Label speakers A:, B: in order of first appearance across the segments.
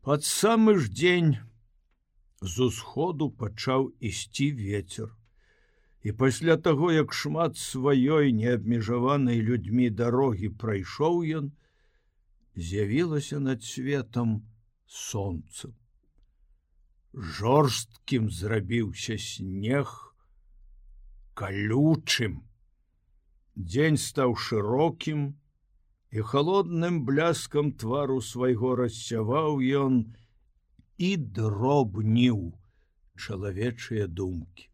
A: Пад самы ж дзень з усходу пачаў ісці вецер. І пасля таго, як шмат сваёй неабмежаванай людзьмі дарогі прайшоў ён, з'явілася над светам сонца. Жорсткім зрабіўся снег, калючым. Дзень стаў шырокім, і халодным бляскам твару свайго рассяваў ён і дробніў чалавечыя думкі.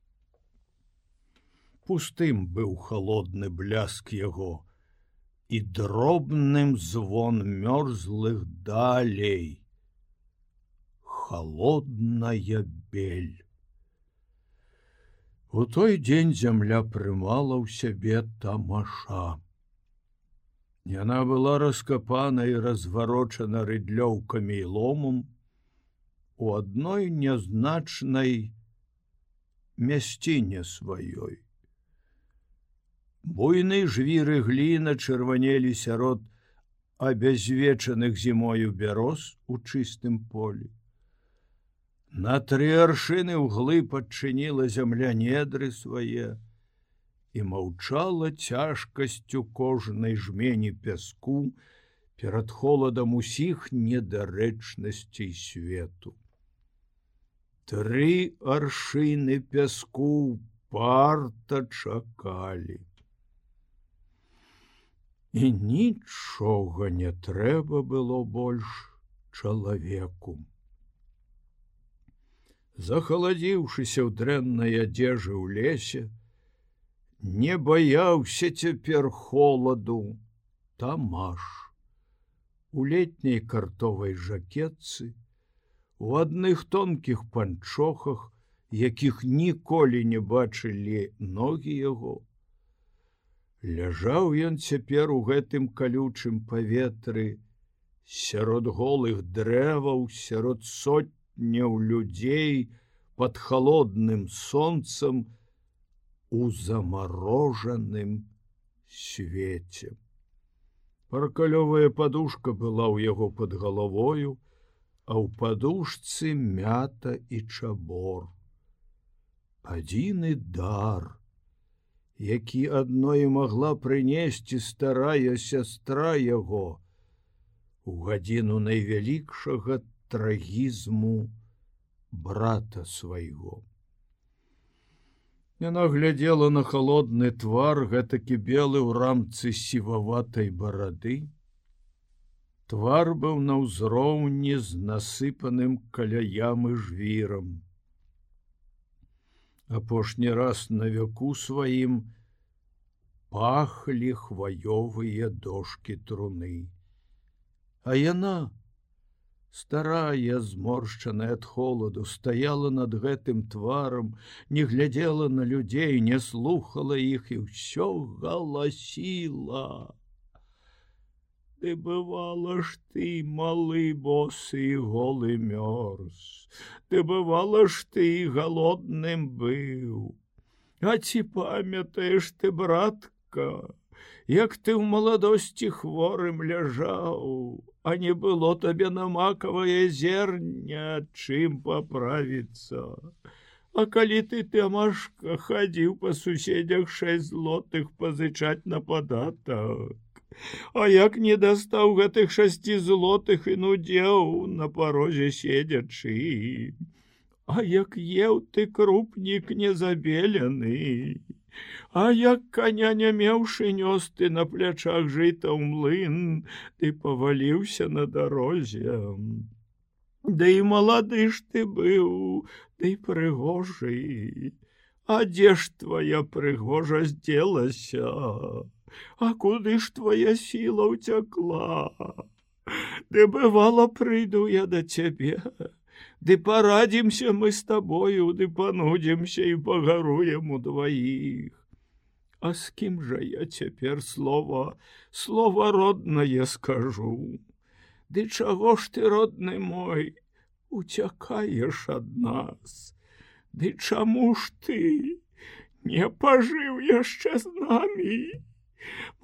A: Пустым быў халодны бляск яго, і дробным звон мёрзлых далей. Холодная бель. У той дзень зямля прымала ў сябе тамаша. Яна была раскапана і разварочана рыдлёўкамі і ломам у адной нязначнай мясціне сваёй. Буйны жвіры гліна чырванелі сярод абязвечаных зімою бяроз у чыстым полі. На 3 аршыны ўглыб адчыніла зямля недры свае і маўчала цяжкасцю кожнай жмені пяску перад холадам усіх недарэчнасцей свету. 3 аршыны пяску парта чакалі. І нічога не трэба было больш чалавеку. Захаладзіўшыся ў дрэннай адзежы ў лесе, не баяўся цяпер холаду Тамаш. У летняй картовай жакетцы, у адных тонкіх панчохах, якіх ніколі не бачылі ногі яго, ляжаў ён цяпер у гэтым калючым паветры, сярод голых дрэваў, сярод сотняў людзей, пад халодным сонцам, у замарожаным свеце. Паркалёвая падушка была ў яго пад галавою, а ў падушцы мята і чабор. Адзіны дар, які адной магла прынесці старая сястра яго у гадзіну найвялікшага трагізму брата свайго. Яна глядзела на халодны твар, гэтакі белы ў рамцы сіваватай барады. Твар быў на ўзроўні з насыпаным каля ямы жвірам. Апошні раз на веку сваім пахлі хваёвыя дошкі труны. А яна, старая, зморшчаная ад холаду, стаяла над гэтым тварам, не глядзела на людзей, не слухала іх і ўсё галасіла. Ты бывала ж ты, малы босы і голы мёрз. Ты бывала ж ты, голодным быў. А ці памятаеш ты, братка, як ты ў маладосці хворым ляжаў, а не было табе на макавае зерня, чым паправіцца. А калі ты, Тамашка, хадзіў па суседзях 6 злотых пазычаць на падатак, а як не дастаў гэтых 6 злотых і нудзеў на парозе седзячы, а як еў ты крупнік незабелены, а як каня не меўшы нёс ты на плячах жыта ў млын, ты паваліўся на дарозе. Да і малады ж ты быў, ты прыгожы, а дзе ж твая прыгожасць дзелася? А куды ж твоя сіла ўцякла? Ды бывала, прыйду я да цябе, ды парадзімся мы з табою, ды панудзімся і пагаруем удваіх. А з кім жа я цяпер слова роднае скажу? Ды чаго ж ты, родны мой, уцякаеш ад нас? Ды чаму ж ты не пажыў яшчэ з намі?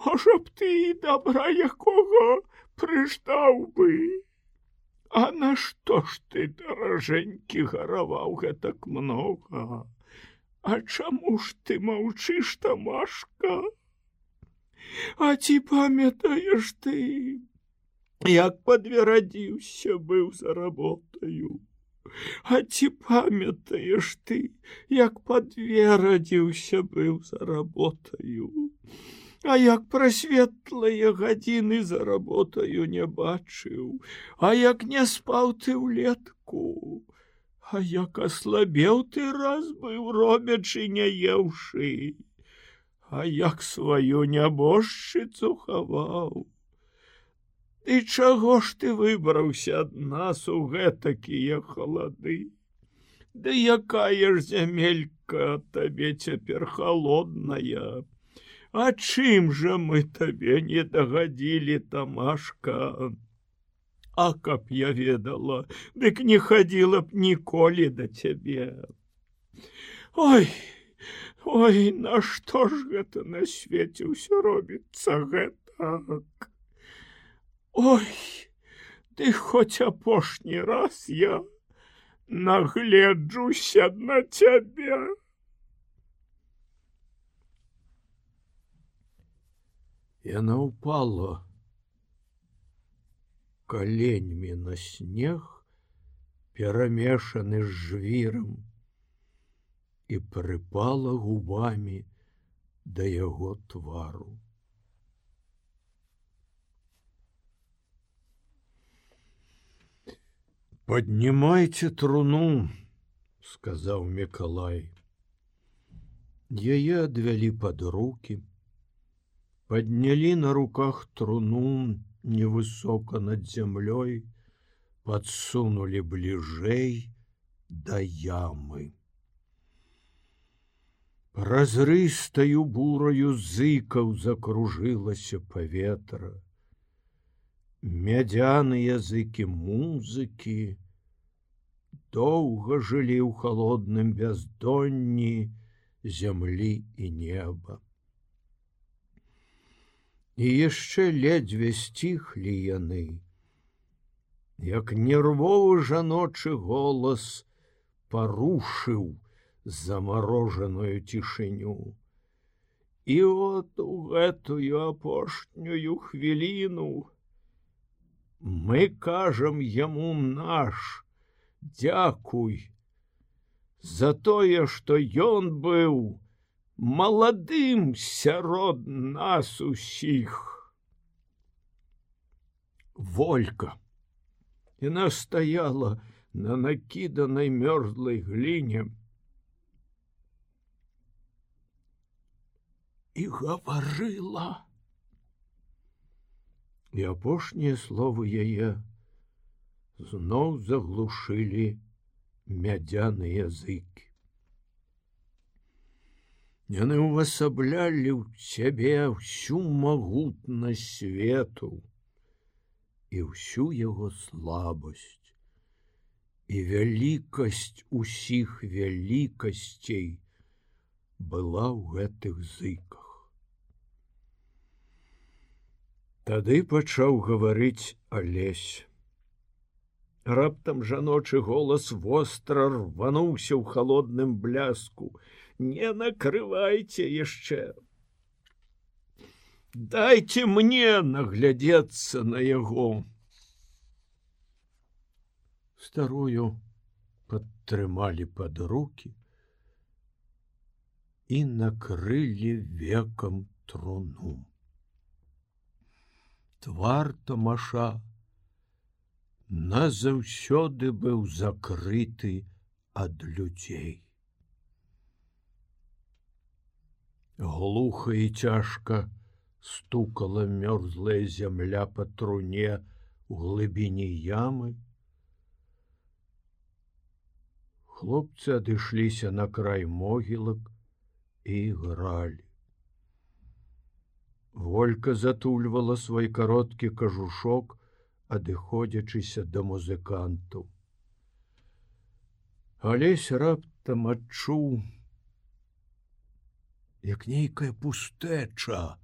A: Можа б ты і добра якога прыждаў бы. А нашто ж ты, даражэнькі, гараваў гэтак многа? А чаму ж ты маўчыш, Тамашка? А ці памятаеш ты, як падверадзіўся быў за работаю? А ці памятаеш ты, як падверадзіўся быў за работаю? А як пра светлыя гадзіны за работаю не бачыў? А як не спаў ты ўлетку? А як аслабеў ты раз быў, робячы не еўшы? А як сваю нябожчыцу хаваў? І чаго ж ты выбраўся ад нас у гэтакія халады? Ды якая ж зямелька табе цяпер халодная? А чым жа мы табе не дагадзілі, Тамашка? А каб я ведала, дык не хадзіла б ніколі да цябе. Ой, ой, нашто ж гэта на свеце ўсё робіцца гэтак? Ой, ты хоць апошні раз я нагледжуся на цябе. Яна упала коленьмі на снег, перамешаны з жвірам, і прыпала губамі да яго твару. «Поднимайте труну», — сказаў Мікалай. Яе адвялі пад рукі, подняли на руках труну невысоко над землей, подсунули ближэй до ямы. Празрыстаю бураю зыкаў закружылася паветра. Мядзяныя языкі музыкі доўга жылі ў халодным бяздонні зямлі і неба. І яшчэ ледзьве сціхлі яны, як нервовы жаночы голас парушыў замарожаную цішыню. І от у гэтую апошнюю хвіліну мы кажам яму наш дзякуй за тое, што ён быў маладым сярод нас усіх. Волька. Яна стаяла на накіданай мёрзлай гліне і гаварыла. І апошнія словы яе зноў заглушылі мядзяныя языкі. Яны ўвасаблялі ў сябе ўсю магутнасць свету і ўсю яго слабасць, і вялікасць усіх вялікасцей была ў гэтых зыках. Тады пачаў гаварыць Алесь. Раптам жаночы голас востра рвануўся ў халодным бляску. Не накрывайце яшчэ. Дайце мне наглядзецца на яго. Старую падтрымалі пад рукі і накрылі векам труну. Твар Тамаша назаўсёды быў закрыты ад людзей. Глуха і цяжка стукала мёрзлая зямля па труне ў глыбіні ямы. Хлопцы адышліся на край могілак і ігралі. Волька затульвала свой кароткі кажушок, адыходзячыся да музыкантаў. Алесь раптам адчуў, як нейкая пустэча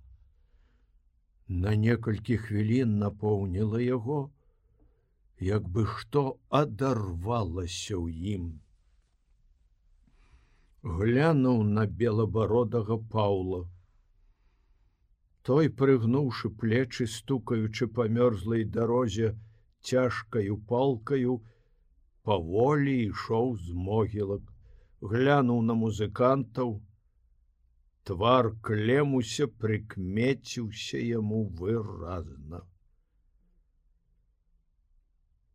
A: на некалькі хвілін напоўніла яго, як бы што адарвалася ў ім. Глянуў на белабародага Паўла. Той, прыгнуўшы плечы, стукаючы па мёрзлай дарозе цяжкаю палкаю, паволі ішоў з могілак, глянуў на музыкантаў. Твар Клемуся прыкмеціўся яму выразна.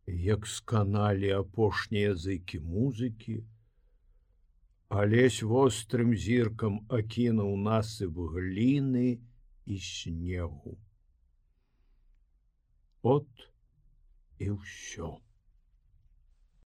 A: Як сканалі апошнія языкі музыкі, Алесь вострым зіркам акінуў насып гліны і снегу. От і ўсё.